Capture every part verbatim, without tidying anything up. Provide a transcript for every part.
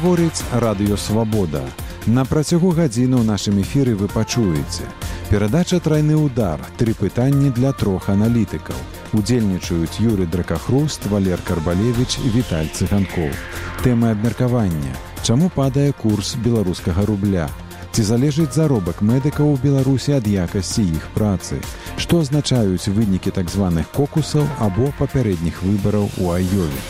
Гаворыць Радыё Свабода. На працягу гадзіны ў нашым эфіры вы пачуеце. Перадача «Трайны удар». Тры пытанні для трох аналітыкаў. Удзельнічаюць Юрый Дракахруст, Валер Карбалевіч і Віталь Цыганкоў. Тэмы абмеркавання. Чаму падае курс беларускага рубля? Ці залежыць заробак медыкаў у Беларусі ад якасці іх працы? Што азначаюць вынікі так званых кокусаў або папярэдніх выбараў у Айове?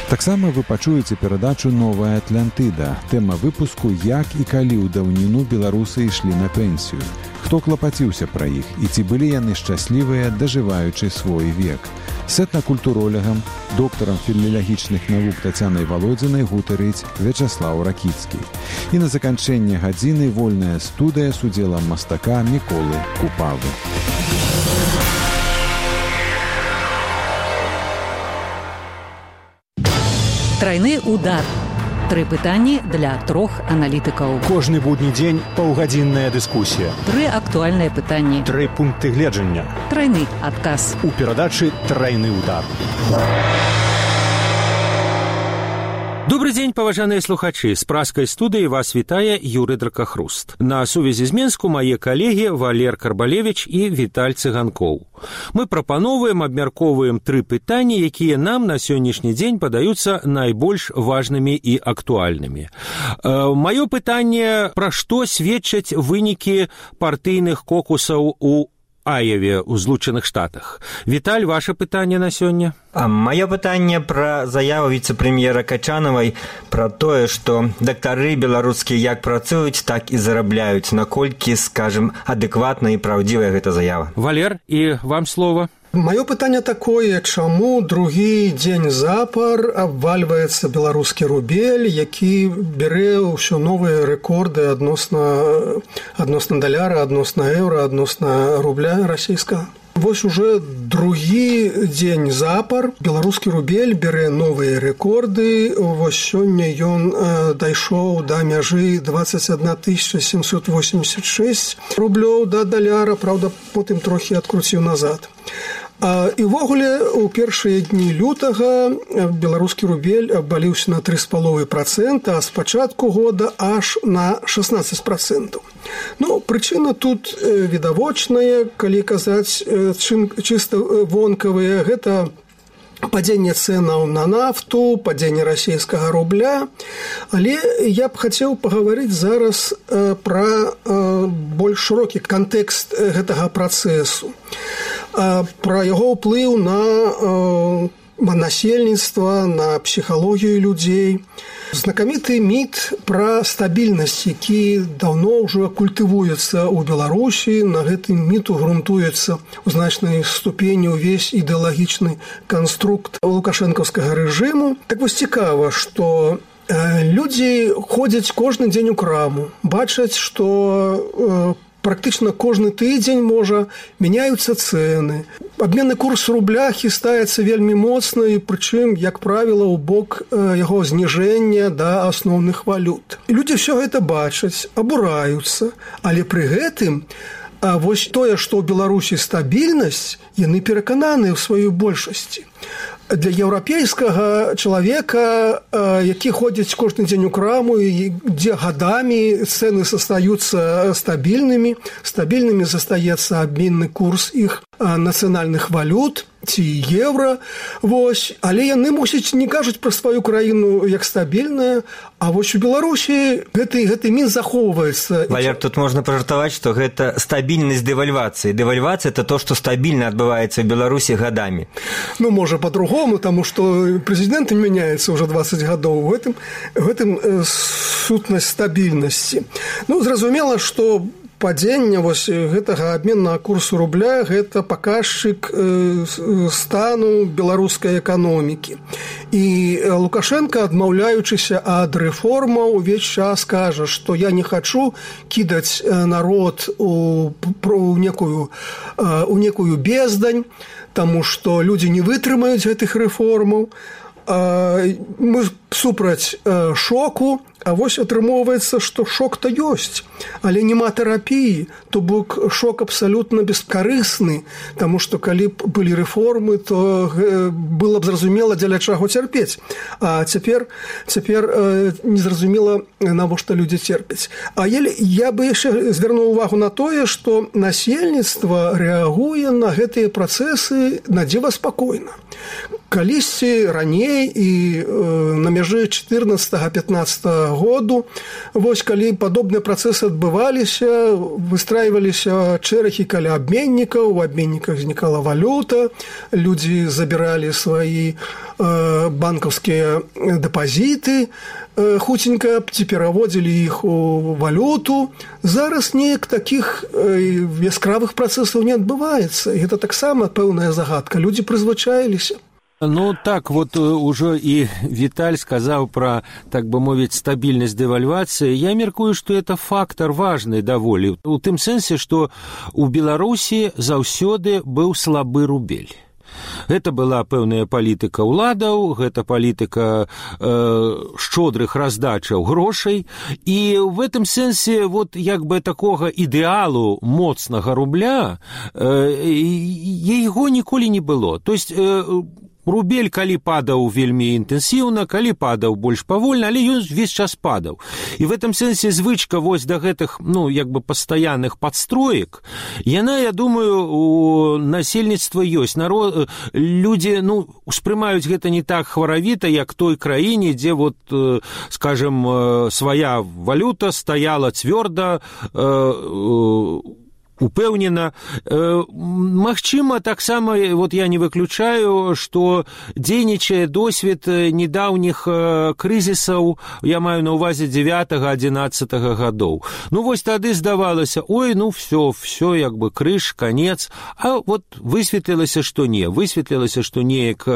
Таксама вы пачуеце перадачу «Новая Атлантыда». Тэма выпуску «Як і калі ў даўніну беларусы ішлі на пенсію». Хто клапаціўся пра іх і ці былі яны шчаслівыя, дажываючы свой век? С этнакультуролягам, доктарам філалагічных навук Тацянай Валодзінай гутарыць Вячаслаў Ракіцкі. І на заканчэнне гадзіны вольная студыя з удзелам мастака Міколы Купавы. Трайны удар. Тры пытанні для трох аналітыкаў. Кожны будні дзень паўгадзінная дыскусія. Тры актуальныя пытанні. Тры пункты гледжання. Трайны адказ. У перадачы «Трайны удар». Добрый дзень, паважаныя слухачы. З праскай студыі вас вітае Юрый Дракахруст. На сувязі з Менску мае калегі Валер Карбалевіч і Віталь Цыганкоў. Мы прапановваем, абмяркоўваем тры пытанні, якія нам на сённяшні дзень падаюцца найбольш важнымі і актуальнымі. Э, маё пытанне, пра што сведчаць вынікі партыйных кокусаў у Айове ў Злучаных Штатах. Віталь, ваше пытанне на сёння? А маё пытанне пра заяву віцэ-прэм'ера Качанавай пра тое, што дактары беларускія як працуюць, так і зарабляюць. Наколькі, скажем, адэкватна і праўдзівая гэта заява? Валер, і вам слова. Маё пытанне такое, чаму другі дзень запар абвальваецца беларускі рубель, які бярэ ўсё новыя рэкорды адносна, адносна даляра, адносна еўра, адносна рубля расійскага. Вось уже другі дзень запар беларускі рубель бярэ новыя рэкорды. Вось сёння ён э, дайшоў да мяжы дваццаць адна тысяча сямсот восемьдесят шесть рублёў да даляра, праўда, потым трохі адкруціў назад. І ўвогуле у першыя дні лютага беларускі рубель абваліўся на тры з паловай працэнта, а з пачатку года аж на шестнадцать процентов. Ну, прычына тут відавочная, калі казаць чым чыста вонкавыя, гэта падзенне цэнаў на нафту, падзенне расійскага рубля. Але я б хацеў пагаварыць зараз э, пра э, больш шырокі кантэкст гэтага працэсу, э, пра яго ўплыў на э, насельніцтва, на псіхалогію людзей. Знакаміты міт пра стабільнасць, які даўно ўжо культывуецца ў Беларусі. На гэтым міту грунтуецца ў значнай ступені ўвесь ідэалагічны канструкт лукашэнкаўскага рэжыму. Так вось цікава, што людзі ходзяць кожны дзень у краму, бачаць, што практычна кожны тыдзень, можа, мяняюцца цэны. Абменны курс рубля хістаецца вельмі моцна, і прычым, як правіла, у бок яго зніжэння да асноўных валют. І людзі ўсё гэта бачаць, абураюцца, але пры гэтым вось тое, што ў Беларусі стабільнасць, яны перакананыя ў сваёй большасці. Для еўрапейскага чалавека, які ходзіць кожны дзень у краму, і дзе гадамі цэны застаюцца стабільнымі, стабільнымі застаецца абменны курс іх нацыянальных валют ці еўра. Вось. Але яны, мусіць, не кажуць пра сваю краіну як стабільная, а вось у Беларусі гэты, гэты мін захоўваецца. Валер, тут можна пажартаваць, што гэта стабільнасць дэвальвацыі. Дэвальвацыя – это то, што стабільна адбываецца ў Беларусі гадамі. Ну, можа, по-другому, таму што прэзідэнт мяняецца ўжо дваццаць гадоў. У гэтым, у гэтым сутнасць стабільнасці. Ну, зразумела, што падзення вось гэтага абменнага курсу рубля – гэта паказчык стану беларускай эканомікі. І Лукашенко, адмаўляючыся ад рэформаў, увесь час кажа, што я не хачу кідаць народ у, у, некую, у некую бездань, таму што людзі не вытрымаюць гэтых рэформаў. Мы супраць шоку, А вось атрымоўваецца, што шок-то ёсць, але няма тэрапіі, то бок шок абсалютна бескарысны, таму што калі б былі рэформы, то было б зразумела, дзеля чаго цярпець. А цяпер, цяпер незразумела, навошта людзі церпяць. А я бы яшчэ звярнуў увагу на тое, што насельніцтва рэагуе на гэтыя працэсы надзіва спакойна. Калісьці раней і на мяжы чатырнаццатага-пятнаццатага году, вось калі падобныя працэсы адбываліся, выстрайваліся чэрагі каля абменнікаў, у абменніках знікала валюта, людзі забіралі свае банкаўскія дэпазіты, хуценька ці пераводзілі іх у валюту. Зараз неяк такіх яскравых працэсаў не адбываецца. І гэта таксама пэўная загадка. Людзі прызвычаіліся. Ну, так, вот уже и Виталь сказал про, так бы мовить, стабильность девальвации. Я меркую, что это фактор важный даволі. У тым сэнсе, что у Беларусі заўсёды быў слабы рубель. Гэта была пэўная палітыка ўладаў, гэта палітыка э, шчодрых раздачаў грошай, і в этом сэнсе вот як бы такога ідэалу моцнага рубля э, яго ніколі не было. То есть э, рубель, калі падаў вельмі інтэнсіўна, калі падаў больш павольна, але ён весь час падаў. І в этом сэнсе звычка вось да гэтых, ну, як бы пастаянных падстроек, яна, я думаю, у насельніцтва ёсць. Народ, людзі, ну, успрымаюць гэта не так хваравіта, як той краіне, дзе вот, скажем, свая валюта стаяла цвёрда, упэўнена. Магчыма, таксама, вот я не выключаю, што дзейнічае досвед недаўніх крызісаў, я маю на ўвазе дзевятага-адзінаццатага гадоў. Ну, вось тады здавалася, ой, ну, всё, всё, як бы, крыж, канец. А вот высветлілася, што не. Высветлілася, што неяк,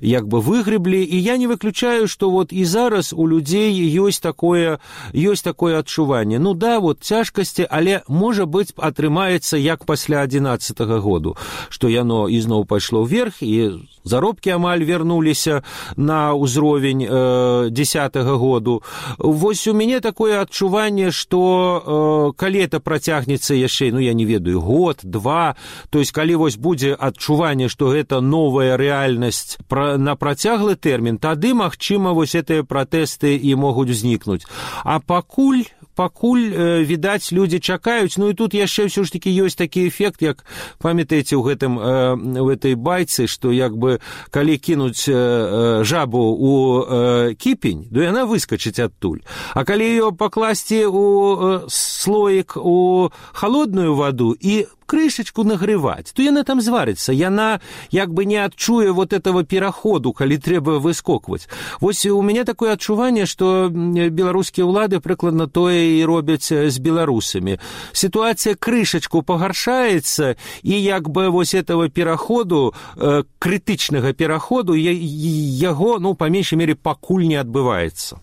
як бы, выгрэблі. І я не выключаю, што вот і зараз у людзей ёсць такое, ёсць такое адчуванне. Ну, да, вот цяжкасці, але, можа быць, атрымаецца маецца як пасля адзінаццатага году, што яно ізноў пайшло ўверх, і заробкі амаль вярнуліся на ўзровень э, дзесятага году. Вось у мяне такое адчуванне, што э, калі это працягнецца яшчэ, ну, я не ведаю, год, два, то есть калі вось будзе адчуванне, што гэта новая рэальнасць пра, на працяглы тэрмін, тады, магчыма, вось гэтыя пратэсты і могуць узнікнуць. А пакуль пакуль, э, відаць, людзі чакаюць. Ну і тут яшчэ ўсё ж такі ёсць такі эфект, як памятаеце ў гэтым э, в этой байцы, што як бы калі кінуць э, жабу у э, кіпень, то яна выскачыць адтуль. А калі ее пакласці у э, слоік у холодную ваду і крышечку нагреваць, то яна там зварыцца, яна як бы не адчуе вот этого пераходу, калі трэба выскокваць. Вось у мяне такое адчуванне, што беларускія ўлады прыкладна тое і робяць з беларусамі. Сітуацыя крышечку пагаршаецца, і як бы вось этого пераходу, э, крытычнага пераходу, яго, ну, па меншай мере, пакуль не адбываецца.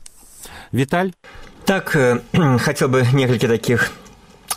Віталь? Так, э, хацеў бы некалькі такіх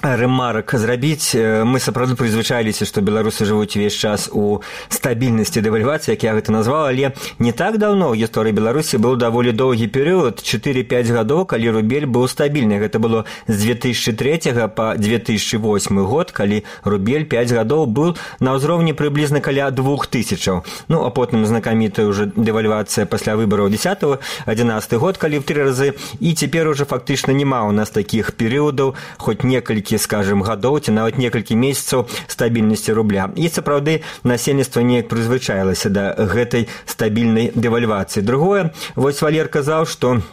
ремарок зрабіць. Мы сапраўды прызвычаіліся, што беларусы жывуць увесь час у стабільнасці дэвальвацыі, як я гэта назваў, але не так даўно ў гісторыі Беларусі быў даволі доўгі перыяд, чатыры-пяць гадоў, калі рубель быў стабільны. Гэта было з дзве тысячы трэцяга па дзве тысячы восьмы год, калі рубель пяць гадоў быў на ўзроўні прыблізна каля двух тысячаў. Ну, а потым знакамітая ўжо дэвальвацыя пасля выбараў дзесяты адзінаццаты год, калі ў тры разы, і цяпер ужо фактычна няма ў нас такіх перыядаў, хоць некалькі, скажем, гадоў ці нават некалькі месяцаў стабільнасці рубля. І сапраўды насельніцтва неяк прызвычаілася да гэтай стабільнай дэвальвацыі. Другое, вось Валер казаў, што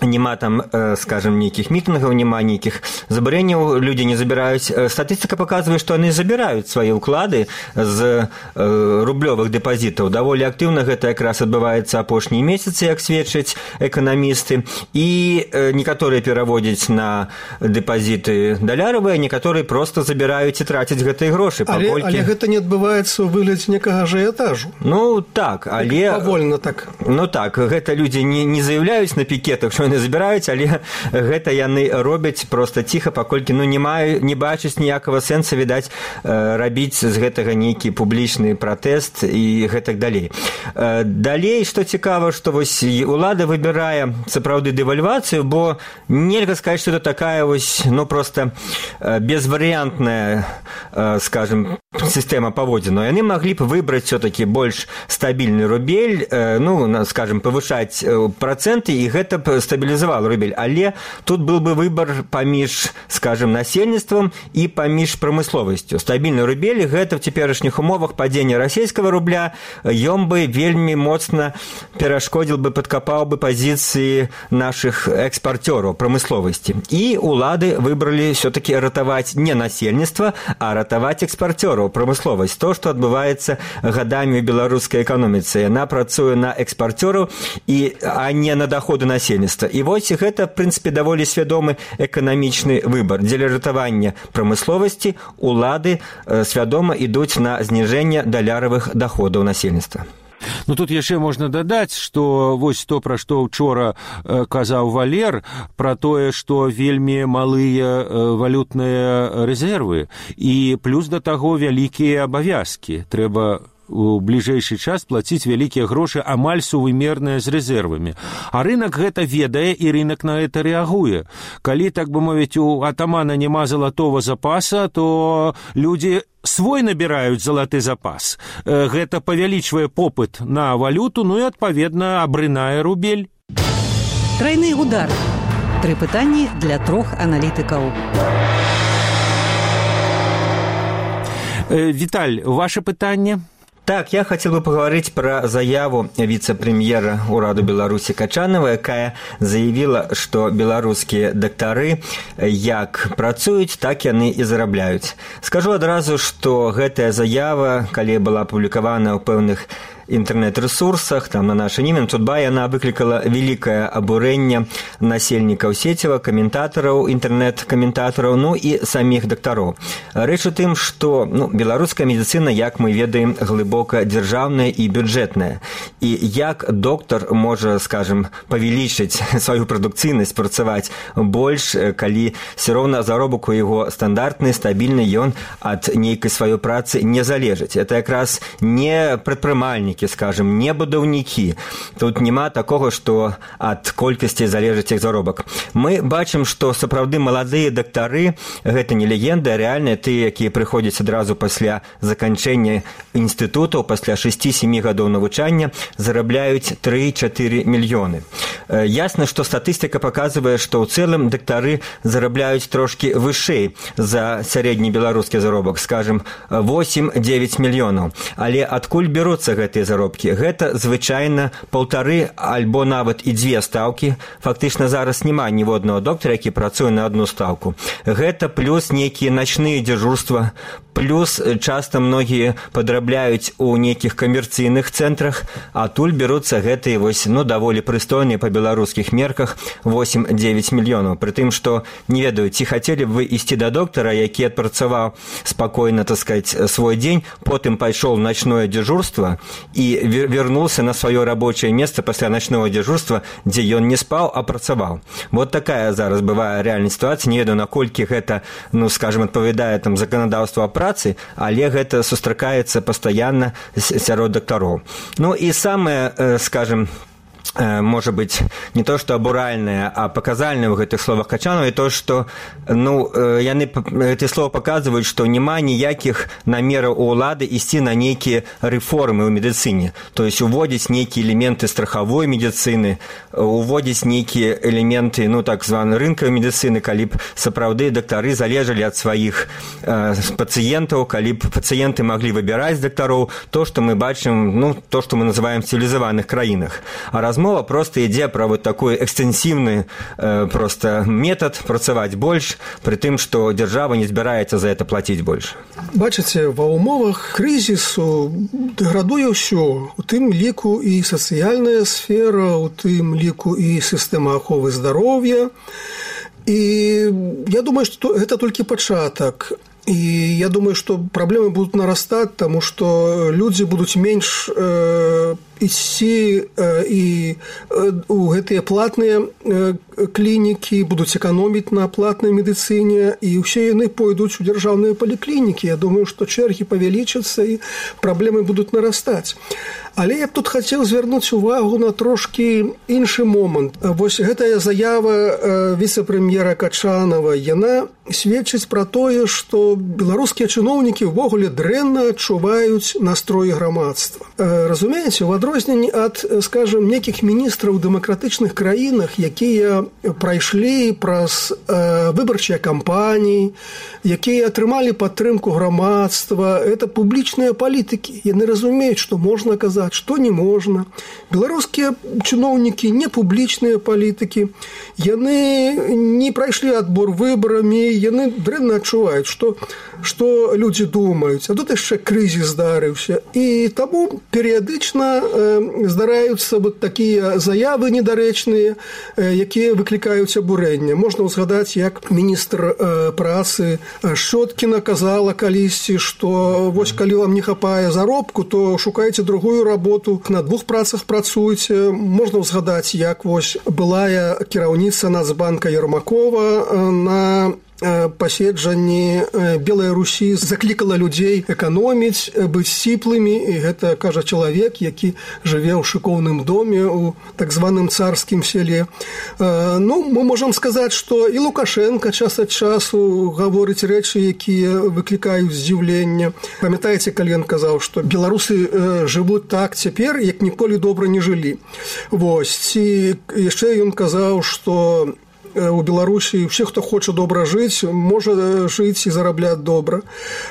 няма там, скажем, нейкіх мітынгаў, няма нейкіх забарэнняў, людзі не забіраюць. Статыстыка паказвае, што яны забіраюць свае ўклады з рублёвых дэпазітаў. Даволі актыўна гэта якраз адбываецца апошнія месяцы, як сведчаць эканамісты. І некаторыя пераводзяць на дэпазіты даляравыя, некаторыя проста забіраюць і трацяць гэтыя грошы. Але, паколькі... але гэта не адбываецца ў выглядзе некага ажыятажу. Ну, так, але... Павольна так. Ну, так, гэта людзі не, не заяўляюць на пікетах, што яны забіраюць, але гэта яны робяць проста ціха, паколькі ну, не, маю, не бачыць ніякага сэнса, відаць, рабіць з гэтага нейкі публічны пратэст і гэтак далей. Далей, што цікава, што вось улада выбірае сапраўды дэвальвацыю, бо нельга сказаць, што это такая вось, ну, проста безварыянтная, скажем, сістэма паводзінаў. Яны маглі б выбраць все-таки больш стабільны рубель, ну, скажем, павышаць працэнты, і гэта б стабілізавала рубель. Але тут был бы выбор паміж, скажем, насельніцтвам і паміж прамысловасцю. Стабільны рубель, гэта в цяперашніх умовах падзення расійскага рубля, ён бы вельмі моцна перашкодзіл бы, падкапаў бы пазіцыі наших экспарцёраў прамысловасці. І улады выбралі все-таки ратаваць не насельніцтва, а ратаваць экспарцёраў прамысловасць. То, што адбываецца гадамі ў беларускай эканоміцы. Яна працуе на экспарцёраў, і, а не на даходы насельніцтва. І вось гэта, в прынцыпе, даволі свядомы эканамічны выбор. Дзеля ратавання прамысловасці улады свядома ідуць на зніжэнне даляравых даходаў насельніцтва. Ну, тут яшчэ можна дадаць, што вось то, пра што ўчора казаў Валер, пра тое, што вельмі малыя валютныя рэзервы, і плюс да таго вялікія абавязкі. Трэба у бліжэйшы час плаціць вялікія грошы амаль сувымерныя з рэзервамі. А рынок гэта ведае, і рынок на гэта рэагуе. Калі, так бы мовіць, у атамана няма залатого запаса, то людзі свой набіраюць залаты запас. Гэта павялічвае попыт на валюту, ну і, адпаведна, абрынае рубель. Трайны удар. Тры пытанні для трох аналітыкаў. Віталь, ваше пытанне? Так, я хотел бы поговорить про заяву вице-премьера Ураду Беларуси Качанова, якая заявила, что беларускія дактары як працуюць, так яны і зарабляюць. Скажу адразу, што гэтая заява, калі была апублікавана ў пэўных інтэрнэт-рэсурсах, там на наша імя, Тутба, яна выклікала вялікае абурэнне насельнікаў сецева, каментатараў, інтэрнэт-каментатараў, ну і саміх дактароў. Рэч у тым, што ну, беларуская медыцына, як мы ведаем, глыбока дзяржаўная і бюджэтная. І як доктар можа, скажем, павялічыць сваю прадукцыйнасць, працаваць больш, калі все роўна заробак у яго стандартны, стабільны, ён ад нейкай сваёй працы не залежыць. Это якраз не прадпрымальнік, скажем, не будаўнікі. Тут няма такога, што ад колькасці залежыць іх заробак. Мы бачым, што сапраўды маладыя дактары, гэта не легенда, а рэальныя тыя, якія прыходзяць адразу пасля заканчэння інстытутаў, пасля шэсці-сямі гадоў навучання, зарабляюць тры-чатыры мільёны. Ясна, што статыстыка паказвае, што ў цэлым дактары зарабляюць трошкі вышэй за сярэдні беларускі заробак, скажем, восем-дзевяць мільёнаў. Але адкуль бяруцца гэтыя заробкі? Гэта звычайна паўтары альбо нават і дзве стаўкі. Фактычна зараз няма ніводнага доктара, які працуе на одну стаўку. Гэта плюс нейкія начныя дзяжурства, плюс часта многія падрабляюць у нейкіх камерцыйных цэнтрах, а туль бяруцца гэтыя вось, ну, даволі прыстойныя па беларускіх мерках восем-дзевяць мільёнаў. Пры тым, што не ведаю, ці хацелі б вы ісці да доктара, які адпрацаваў спакойна, так сказаць, свой дзень, потым пайшоў начное дзяжурства і вернулся на свое рабочее место пасля ночного дзяжурства, дзе ён не спаў, а працаваў. Вот такая зараз бывае рэальная сітуацыя. Не ведаю, наколькі гэта, ну, скажем, адпавядае там заканадаўству о працы, але гэта сустракаецца пастаянна сярод дактароў. Ну і самае, скажем, может быть, не то, что абуральное, а показальное в этих словах Качанова, и то, что, ну, яны, эти слова показывают, что нема ніякіх намераў у улады ісці на нейкія рэформы ў медыцыне. То есть уводзіць нейкія элементы страхавой медыцыны, уводзіць нейкія элементы, ну, так званай рынкавай медыцыны, калі б сапраўды дактары залежалі ад сваіх э, пацыентаў, калі б пацыенты маглі выбіраць дактароў, то, што мы бачым, ну, то, што мы называем в цивилизованных краінах. А размова просто ідзе пра вот такой экстэнсіўны э, просто метод працаваць больш, пры тым, што дзяржава не збіраецца за это плаціць больш. Бачыце, ва ўмовах крызісу дэградуе ўсё, у тым ліку і сацыяльная сфера, у тым ліку і сістэма аховы здароўя. І я думаю, што гэта толькі пачатак. І я думаю, што праблемы будуць нарастаць, таму што людзі будуць менш э, ісці і у гэтыя платныя клінікі, будуць эканоміць на платнай медыцыне, і ўсе яны пойдуць у дзяржаўныя паліклінікі. Я думаю, што чэргі павялічацца і праблемы будуць нарастаць. Але я б тут хацеў звярнуць увагу на трошкі іншы момант. Вось гэтая заява віцэ-прэм'ера Качанава, яна сведчыць пра тое, што беларускія чыноўнікі ўвогуле дрэнна адчуваюць настроі грамадства. Разумееце, у адрозненні ад, скажем, некіх міністраў у дэмакратычных краінах, якія прайшлі праз выбарчыя кампаніі, якія атрымалі падтрымку грамадства, это публічныя палітыкі. Яны разумеюць, што можна казаць, што не можна. Беларускія чыноўнікі не публічныя палітыкі, яны не прайшлі адбор выбарамі, яны дрэнна адчуваюць, што, што людзі думаюць. А тут яшчэ крызіс здарыўся. І таму перыядычна э, здараюцца вот такія заявы недарэчныя, э, якія выклікаюць абурэнне. Можна ўзгадаць, як міністр э, працы Шчоткіна казала калісьці, што вось калі вам не хапае заробку, то шукайце другую работу, на двух працах працуйце. Можна ўзгадаць, як вось былая кіраўніца Нацбанка Ермакова на паседжанні Белай Русі заклікала людзей эканоміць, быць сціплымі, і гэта кажа чалавек, які жыве ў шыкоўным доме у так званым царскім селе. Ну, мы можам сказаць, што і Лукашенко час ад часу гаворыць рэчы, якія выклікаюць здзіўленне. Памятаеце, калі ён казаў, што беларусы жывуць так цяпер, як ніколі добра не жылі. Вось, ці яшчэ ён казаў, што у Беларусі ўсе, хто хоча добра жыць, можа жыць і зарабляць добра.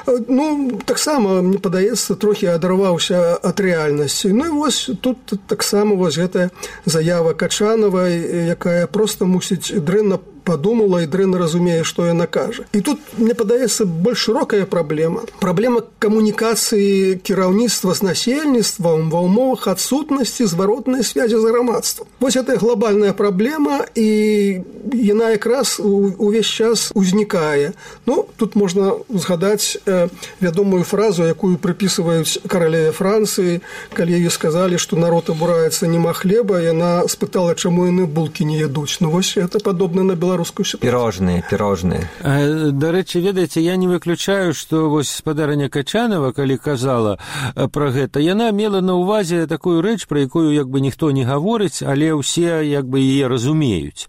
Ну, таксама, мне падаецца, трохі адарваўся ад рэальнасці. Ну і вось тут таксама вось гэтая заява Качанавай, якая проста мусіць дрэнна подумала і дрэнна разумее, што яна кажа. І тут, мне падаецца, больш шырокая праблема. Праблема камунікацыі кіраўніцтва з насельніцтвам ва ўмовах адсутнасці зваротнай связі з грамадствам. Вось гэта глобальная праблема, і яна якраз увесь час узнікае. Ну, тут можна згадаць э, вядомую фразу, якую прыпісваюць каралеве Францыі, калі ёй сказалі, што народ абураецца, нема хлеба, яна спытала, чаму яны булкі не ядуць. Ну, вось это падобна на беларускую ситуацию. Пирожные, пирожные. Дарэчы, ведаеце, я не выключаю, што вось спадарня Качанова, калі казала пра гэта, яна мела на ўвазе такую рэч, пра якую як бы ніхто не гаворыць, але ўсе як бы яе разумеюць.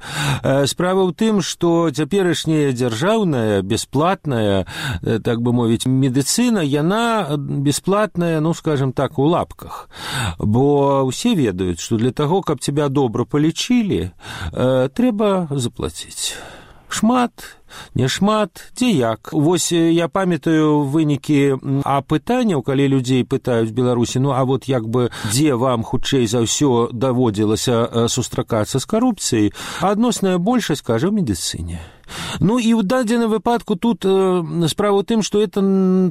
Справа ў тым, што цяперашняя дзяржаўная, бясплатная, так бы мовіць, медыцына, яна бясплатная, ну, скажем так, у лапках. Бо ўсе ведаюць, што для таго, каб цябе добра палічылі, трэба заплаціць. Шмат, не шмат, дзе як. Вось я памятаю вынікі апытанняў, калі людзей пытаюць Беларусі, ну а вот як бы дзе вам хутчэй за ўсё даводзілася сустракацца з карупцыяй, адносная большасць кажа ў медыцыне. Ну і ў дадзеным выпадку тут э, справа ў тым, што это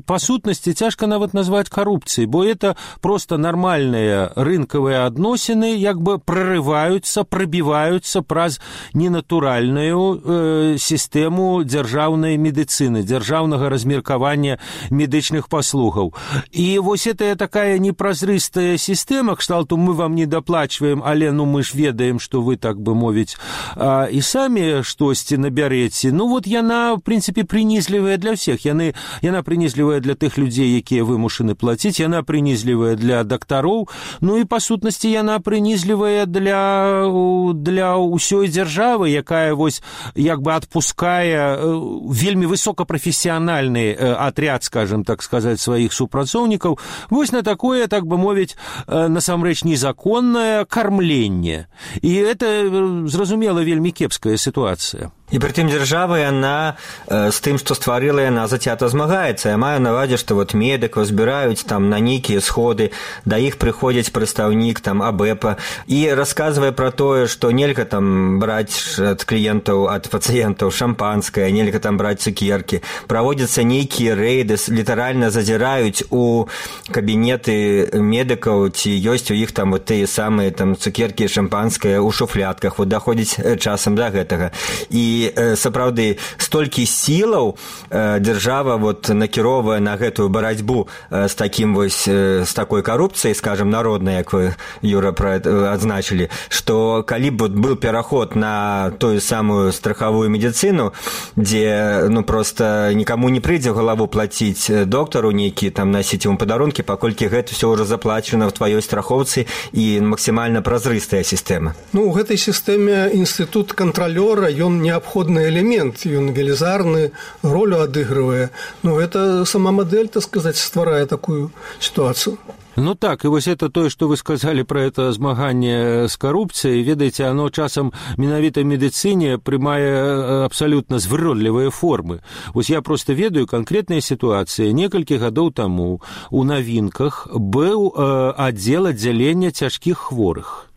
па сутнасці цяжка нават назваць карупцыяй, бо это проста нармальныя рынкавыя адносіны як бы прарываюцца, прабіваюцца праз ненатуральную э, сістэму дзяржаўнай медыцыны, дзяржаўнага размеркавання медычных паслугаў. І вось это такая непразрыстая сістэма, кшталту мы вам не даплачваем, але ну мы ж ведаем, што вы, так бы мовіць, а, і самі штосьці набярэце. Ну вот яна, в прынцыпе, прынізлівая для ўсіх. Яны, яна прынізлівая для тых людзей, якія вымушаны плаціць, яна прынізлівая для дактароў, ну і па сутнасці яна прынізлівая для, для ўсёй дзяржавы, якая вось як бы адпускае вельмі высокапрафесіянальны атряд, скажем так сказаць, сваіх супрацоўнікаў вось на такое, так бы мовіць, насамрэч незаконнае кармленне. І это, зразумела, вельмі кепская сітуацыя. І притым дзяржава, яна э, з тым, што стварыла, яна зацята змагаецца. Я маю на ўвазе, што вот медыкаў збіраюць там на нейкія сходы, да іх прыходзіць прадстаўнік там АБЭПа і расказвае пра тое, што нельга там браць ад кліентаў, ад пацыентаў шампанскае, нельга там браць цукеркі. Праводзяцца нейкія рэйды, літаральна зазіраюць у кабінеты медыкаў, ці ёсць у іх там вот тыя самыя там цукеркі, шампанскае ў шуфлятках. Вот даходзіць часам да гэтага. І сапраўды столькі сілаў дзяржава вот накіровае на гэтую барацьбу з такім вось з такой карупцыяй, скажем, народнай, як вы, Юра, адзначылі, што калі б был пераход на тую самую страхавую медыцыну, дзе ну просто нікому не прыйдзе ў галаву плаціць доктару нейкі, там насіць ему падарункі, паколькі гэта ўсё ўжо заплачана в тваёй страхоўцы і максімальна празрыстая сістэма. Ну, у гэтай сістэме інстытут кантралёра, ён неабходны элемент, ён велізарны ролю адыгрывае. Ну, гэта сама мадэль, так сказаць, стварае такую ситуацию. Ну так, и вот это то, что вы сказали про это змагание с коррупцией, ведаете, оно часом менавіта медицине прымае абсолютно звыродлівыя формы. Вот я просто ведаю конкретная ситуация. Некалькі гадоў таму у Новинках был э, отдел отделения цяжкіх хворых.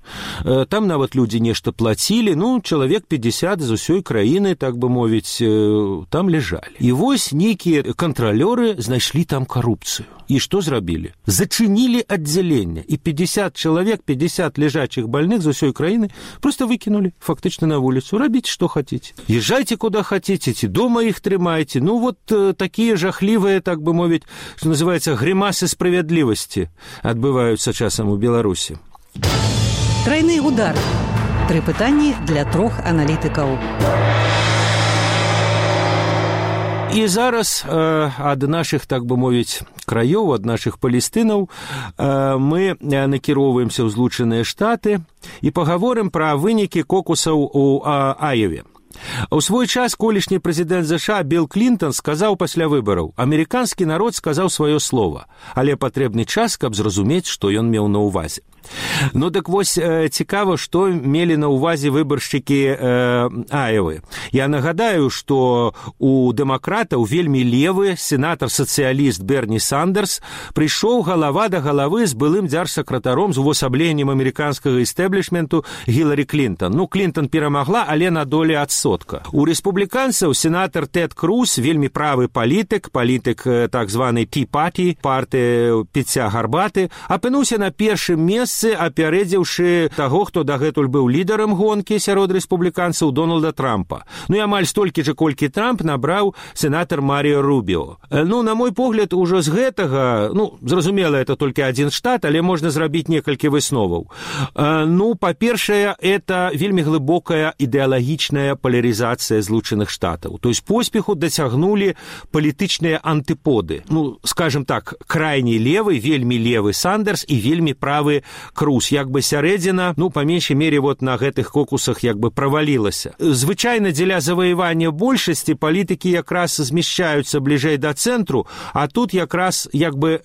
Там нават людзі нешта плацілі, ну, чалавек пятьдесят з усёй краіны, так бы мовіць, там ляжалі. І вось нейкія кантралёры знайшлі там карупцыю. І што зрабілі? Зачынілі аддзяленне, і пятьдесят чалавек, пятьдесят лежачих больных з усёй краіны просто выкинули фактычна на вуліцу. Рабіце, што хаціце. Езжайте, куда хотите, ці дома іх трымайце. Ну, вот э, такія жахлівыя, так бы мовіць, што называецца, грымасы справядлівасці адбываюцца часам у Беларусі. Трайны удар. Тры пытанні для трох аналітыкаў. І зараз э, ад нашых, так бы мовіць, краёў, ад нашых палестынаў э, мы накіроўваемся ў Злучаныя Штаты і пагаворым пра вынікі кокусаў у а, Аёве. У свой час колішні прэзідэнт ЗША Билл Клінтон сказаў пасля выбараў: «Амерыканскі народ сказаў сваё слова, але патрэбны час, каб зразумець, што ён меў на ўвазе». Ну, так вось цікава, што мелі на ўвазе выбаршчыкі э, Аёвы. Я нагадаю, што у дэмакратаў вельмі левы сенатар-сацыяліст Берні Сандерс прыйшоў галава да галавы з былым дзяржсакратаром з увасабленнем амерыканскага істэблішменту Гіларі Клінтон. Ну, Клінтон перамагла, але на долі адсотка. У рэспубліканцаў сенатар Тэд Круз, вельмі правы палітык, палітык так званай Tea Party, партыі піцця гарбаты, апынуўся на першым месцы, апярэдзіўшы таго, хто дагэтуль быў лідарам гонкі сярод рэспубліканцаў, Дональда Трампа. Ну і амаль столькі же, колькі Трамп набраў сенатар Маріо Рубіо. Ну, на мой погляд, ужо з гэтага, ну, зразумела, это толькі адзін штат, але можна зрабіць некалькі высноваў. Ну, па-першае, это вельмі глыбокая ідэалагічная поляризация Злучаных Штатаў. То есть поспеху досягнули палітычныя антыподы. Ну, скажем так, крайне левый, вельмі левы Сандерс і вельмі правы Круз. Як бы сярэдзіна, ну, па меншай мере, вот на гэтых кокусах як бы правалілася. Звычайна дзеля заваявання большасці палітыкі якраз змяшчаюцца бліжэй да цэнтру, а тут якраз як бы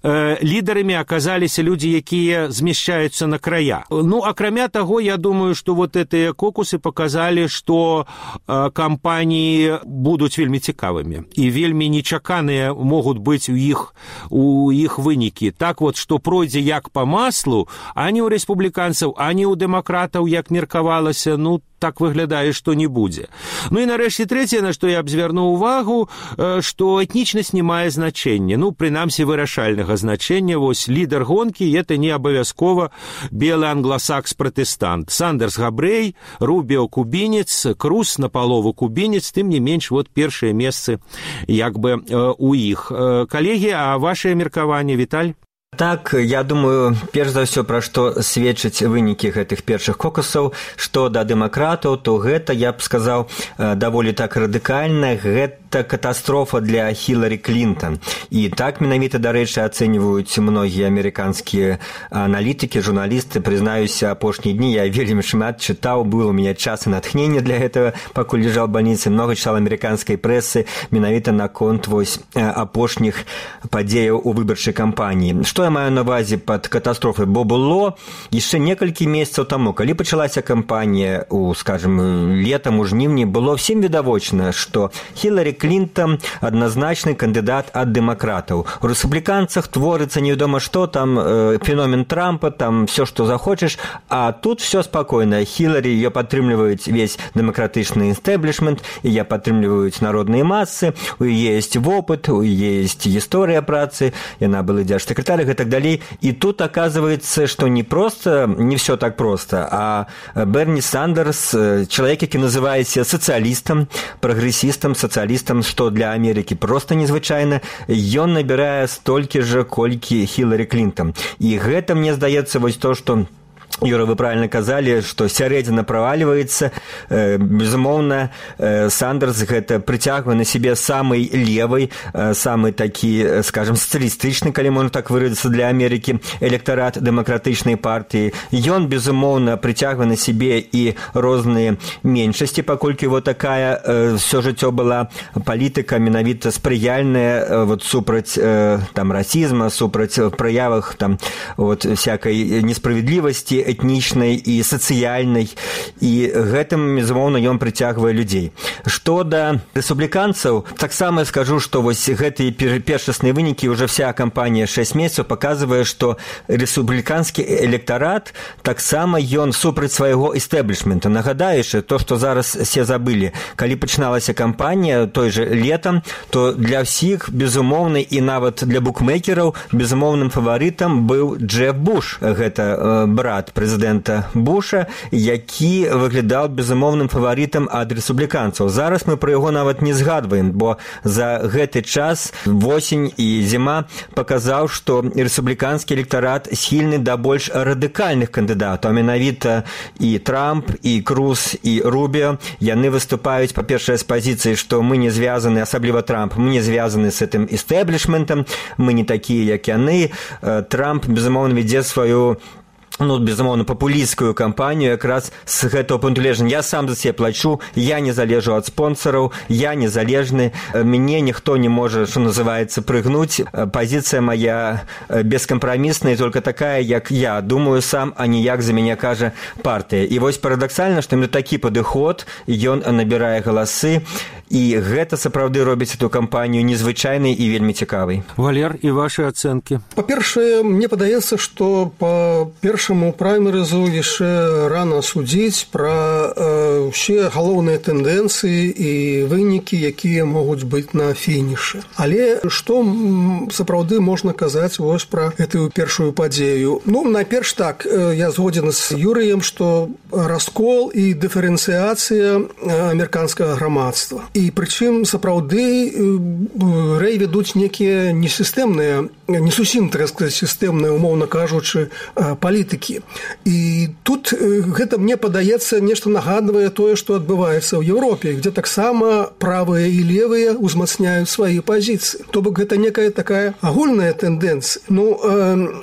э, лідарамі аказаліся людзі, якія змяшчаюцца на края. Ну, акрамя таго, я думаю, што вот гэтыя кокусы показалі, што э, кампаніі будуць вельмі цікавымі і вельмі нечаканыя могуць быць у іх у іх вынікі. Так вот, што пройдзе як па маслу, ані ў рэспубліканцаў, ані ў дэмакратаў, як меркавалася, ну, так выглядае, што не будзе. Ну і нарэшце трэцяе, на што я б звярнуў увагу, што этнічнасць не мае значэння, ну, прынамсі вырашальнага значэння. Вось лідар гонкі – это не абавязкова белы англасакс-пратэстант. Сандерс габрэй, Рубіо кубінец, Круз напалову кубінец, тым не менш, вот першыя месцы як бы у іх. Калегі, а вашае меркаванне, Віталь? Так, я думаю, перш за ўсё, пра што сведчаць вынікі гэтых першых кокусаў, што да дэмакратаў, то гэта, я б сказаў, даволі так радыкальна, гэта катастрофа для Хіларі Клінтон. І так менавіта, дарэчы, ацэньваюць многія амерыканскія аналітыкі, журналісты. Прызнаюся, апошнія дні я вельмі шмат чытаў, было у мяне час і натхнення для гэтага, пакуль ляжаў у бальніцы, многа чытаў амерыканскай прэсы менавіта наконт вось апошніх падзеяў у выбарчай кампаніі. Што я маю на ўвазе пад катастрофай? Бо было яшчэ некалькі месяцаў таму, калі пачалася кампанія у, скажем, летам, у жніўні, было всім відавочна, што Хіларі Клінтон адназначны кандыдат ад дэмакратаў. У рэспубліканцах творыцца невядома што, там э, феномен Трампа, там все, што захочаш, а тут все спакойна. Хіларі, ее падтрымліваюць весь дэмакратычны інстэблішмент, яе падтрымліваюць народныя масы, у яе есть вопыт, у яе есть гісторыя працы, яна была дзяржсакратар гэтак далей. І тут оказывается, что не просто, не все так просто, а Берни Сандерс, человек, які называецца сацыялістам, прагрэсістам, сацыялістам, што для Амерыкі просто незвычайна, ён набірае столькі же, колькі Хіларі Клінтон. І гэта, мне здаецца, вось то, што Юра, вы правильно казали, что сярэдзіна праваливается. Безумоўна, Сандерс гэта прыцягвае на себе самый левый, самый такі, скажем, социалистычны, калі можна так выразіцца, для Америки электорат дэмакратычнай партии. Ён, безумоўна, прыцягвае на себе и розныя меншасці, паколькі вот такая все жыццё была палітыка менавіта спрыяльная вот супраць там расізма, супраць праявах там вот всякой несправедливости этнічнай і сацыяльнай, і гэтым, безумоўна, ён прыцягвае людзей. Што да рэспубліканцаў, таксама скажу, што вось гэтыя першасныя вынікі, уже вся кампанія шэсць месяцаў паказвае, што рэспубліканскі электарат таксама ён супраць свайго эстэблішмента. Нагадаючы, то, што зараз все забылі, калі пачыналася кампанія той же летам, то для ўсіх, безумоўна, і нават для букмекераў безумоўным фаварытам быў Джеб Буш, гэта брат прэзідэнта Буша, які выглядаў безумоўным фаварытам ад рэспубліканцаў. Зараз мы пра яго нават не згадваем, бо за гэты час восень і зіма паказаў, што рэспубліканскі электарат схільны да больш радыкальных кандыдатаў, а менавіта і Трамп, і Круз, і Рубіо. Яны выступаюць, па-першае, з пазіцыі, што мы не звязаны, асабліва Трамп, мы не звязаны з гэтым эстэблішментам, мы не такія, як яны. Трамп, безумоўна, вядзе сваю ну, безумоўна, папулісцкую кампанію якраз з гэтага пункту гледжання. Я сам за себе плачу, я не залежу ад спонсораў, я незалежны, мяне ніхто не можа, што называецца, прыгнуць. Пазіцыя моя бескампрамісная, только такая, як я думаю сам, а не як за мяне кажа партыя. І вось парадаксальна, што мне такі падыход, ён набірае галасы, і гэта сапраўды робіць эту кампанію незвычайнай і вельмі цікавай. Валер, і ваши ацэнкі? Па-першае, мне падаецца, што па першаму праймерызу яшчэ рана судзіць пра э, ўсе галоўныя тэндэнцыі і вынікі, якія могуць быць на фінішы. Але што сапраўды можна казаць вось пра гэтую першую падзею? Ну, найперш так, я згодзен з Юрыем, што раскол і дыферэнцыяцыя амерыканскага грамадства. І прычым сапраўды рэй вядуць некія несістэмныя, не зусім, так сказаць, сістэмныя, умоўна кажучы, палітыкі. І тут гэта, мне падаецца, нешта нагадвае тое, што адбываецца ў Еўропе, дзе таксама правыя і левыя узмацняюць свае пазіцыі. То бок гэта некая такая агульная тэндэнцыя. Ну,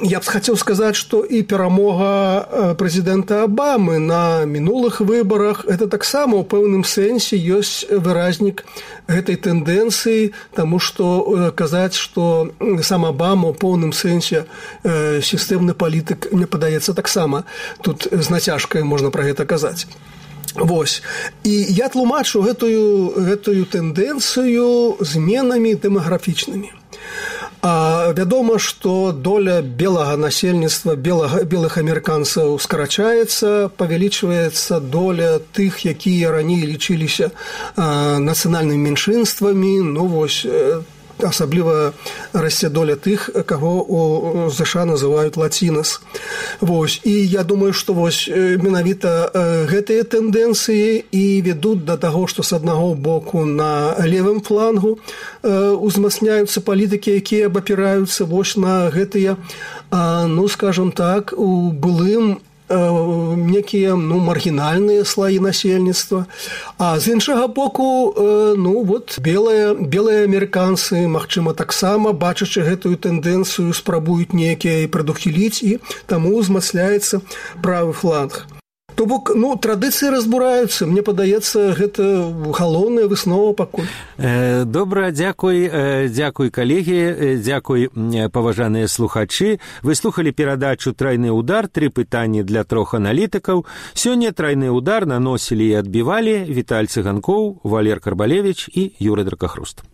я б хацеў сказаць, што і перамога прэзідэнта Абамы на мінулых выбарах гэта таксама ў пэўным сэнсе ёсць выразнік гэтай тэндэнцыі, таму што казаць, што сам Абама ў поўным сэнсе э, сістэмны палітык, мне падаецца, таксама тут з нацяжкай можна пра гэта казаць. Вось. І я тлумачу гэтую, гэтую тэндэнцыю зменамі дэмаграфічнымі. А вядома, што доля белага насельніцтва, белага, белых амерыканцаў скарачаецца, павялічваецца доля тых, якія раней лічыліся а, нацыянальнымі меншынствамі, ну вось, асабліва расце доля тых, каго у ЗША называюць лацінас. Вось. І я думаю, што вось менавіта гэтыя тэндэнцыі і вядуць да таго, што з аднаго боку на левым флангу узмацняюцца палітыкі, якія абапіраюцца вось на гэтыя, ну, скажам так, у былым некія, ну, маргінальныя слаі насельніцтва. А з іншага боку, ну, вот, белыя, белыя амерыканцы, магчыма, таксама, бачачы гэтую тэндэнцыю, спрабуюць некія прадухіліць, і таму узмацняецца правы фланг. То бок, ну, традыцыі разбураюцца. Мне падаецца, гэта галоўная выснова пакуль. Э, добра, дзякуй, э, дзякуй, калегі, э, дзякуй, паважаныя слухачы. Вы слухалі перадачу «Трайны удар», тры пытанні для трох аналітыкаў. Сёння «Трайны удар» наносілі і адбівалі Віталь Цыганкоў, Валер Карбалевич і Юры Дракахруст.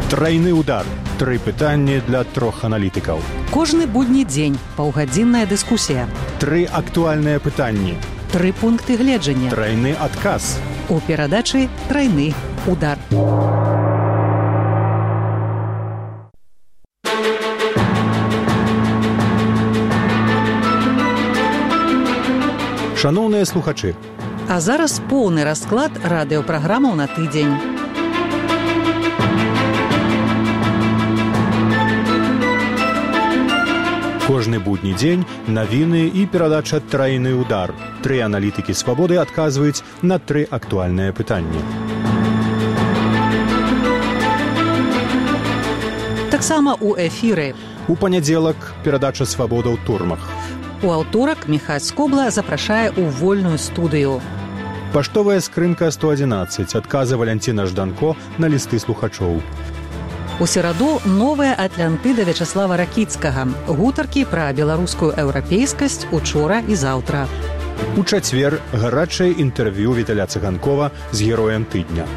Трайны удар. Тры пытанні для трох аналітыкаў. Кожны будні дзень паўгадзінная дыскусія. Тры актуальныя пытанні. Тры пункты гледжання. Трайны адказ. У перадачы «Трайны удар». Шаноўныя слухачы, А зараз поўны расклад радыёпраграмаў на тыдзень. кожны будні дзень навіны і перадача «Трайны удар». Тры аналітыкі «Свабоды» адказваюць на тры актуальныя пытанні. Таксама ў эфіры. У панядзелак перадача «Свабода» ў турмах. У аўторак Міхась Скобла запрашае ў вольную студыю. Паштовая скрынка сто адзінаццаць. Адказы Валянціна Жданко на лісты слухачоў. У сераду новая Атлантыда Вячаслава Ракіцкага. Гутаркі пра беларускую еўрапейскасць учора і заўтра. У чацвер гарачае інтэрв'ю Віталя Цыганкова з героем тыдня.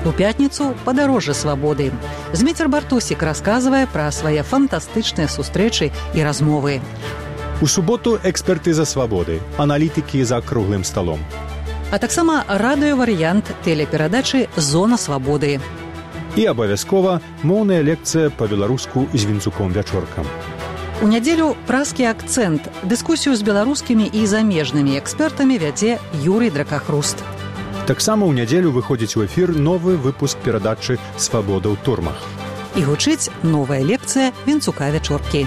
У пятніцу падарожжа свабоды. Зміцер Бартусік расказвае пра свае фантастычныя сустрэчы і размовы. У суботу экспертыза свабоды, аналітыкі за круглым сталом. А таксама радыёварыянт тэлеперадачы «Зона свабоды». І абавязкова моўная лекцыя па-беларуску з Вінцуком Вячоркам. У нядзелю празкі акцэнт. Дыскусію з беларускімі і замежнымі экспертамі вядзе Юрый Дракахруст. Таксама ў нядзелю выходзіць у эфір новы выпуск перадачы «Свабода ў турмах». І гучыць новая лекцыя Вінцука Вячоркі.